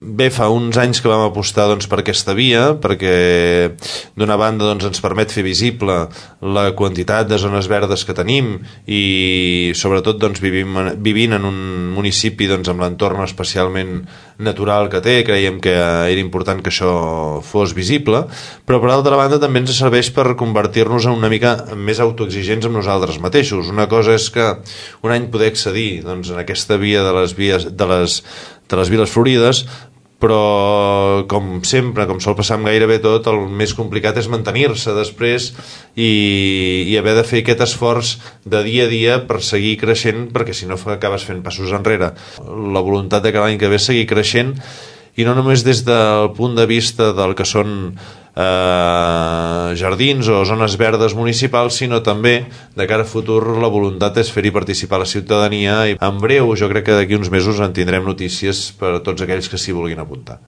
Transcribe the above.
Bé, fa uns anys que vam apostar per aquesta via, perquè d'una banda ens permet fer visible la quantitat de zones verdes que tenim i sobretot vivint en un municipi amb l'entorn especialment natural que té, creiem que era important que això fos visible, però per altra banda també ens serveix per convertir-nos en una mica més autoexigents amb nosaltres mateixos. Una cosa és que un any poder accedir en aquesta via de les Viles Florides, però com sempre, com sol passar amb gairebé tot, el més complicat és mantenir-se després i haver de fer aquest esforç de dia a dia per seguir creixent, perquè si no acabes fent passos enrere. La voluntat de que l'any que ve seguir creixent, i no només des del punt de vista del que són jardins o zones verdes municipals, sinó també de cara a futur la voluntat és fer-hi participar la ciutadania, i en breu, jo crec que d'aquí uns mesos en tindrem notícies per a tots aquells que s'hi vulguin apuntar.